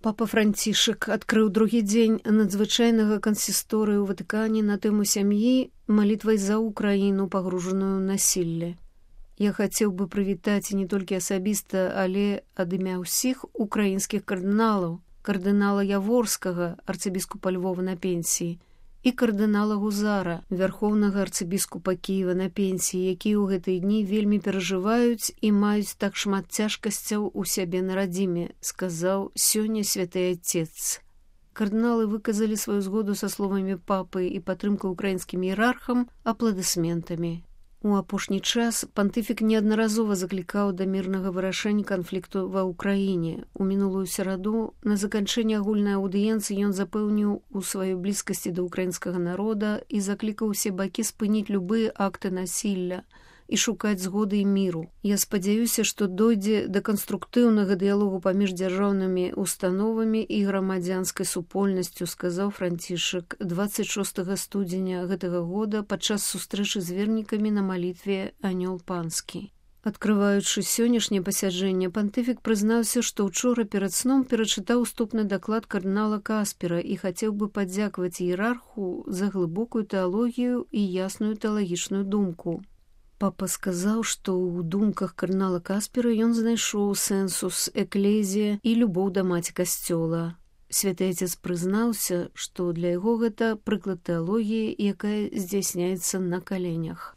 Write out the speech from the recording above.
Папа Францішак адкрыў другі дзень надзвычайнага кансісторыі ў Ватыкане на тэму сям'і малітвай за Украіну, пагружаную ў насілле. Я хацеў бы прывітаць не толькі асабіста, але ад імя ўсіх украінскіх кардыналаў, кардынала Яворскага, арцыбіскупа Львова на пенсіі, і кардынала Гузара, вярхоўнага арцыбіскупа Кіева на пенсіі, якія ў гэтыя дні вельмі перажываюць і маюць так шмат цяжкасцяў у сябе на радзіме, сказаў сёння святы Отец. Кардыналы выказалі сваю згоду са словамі папы і падтрымку украінскім іерархам апладысментамі. У апошні час пантыфік неаднаразова заклікаў да мірнага вырашэння канфлікту ва ўкраіне. У мінулую сераду на заканчэнне агульнай аўдыенцыі ён запэўніў у сваёй блізкасці да ўкраінскага народа і заклікаў усе бакі спыніць любыя акты насілля і шукаць згоды і міру. Я спадзяюся, што дойдзе да канструктыўнага дыялогу паміж дзяржаўнымі установамі і грамадзянскай супольнасцю, сказаў Францішак 26 студзеня гэтага года падчас сустрэчы з вернікамі на малітве «Анёл панскі». Адкрываючы сённяшняе пасяджэнне, пантыфік прызнаўся, што ўчора перад сном перачытаў уступны даклад кардынала Каспера і хацеў бы падзякаваць іерарху за глыбокую тэалогію і ясную тэалагічную думку. Папа сказаў, што ў думках кардынала Каспера ён знайшоў сэнсус, эклезія і любоў да маці касцёла. Святы Отец прызнаўся, што для яго гэта прыклад тэалогіі, якая здзяйсняецца на каленях.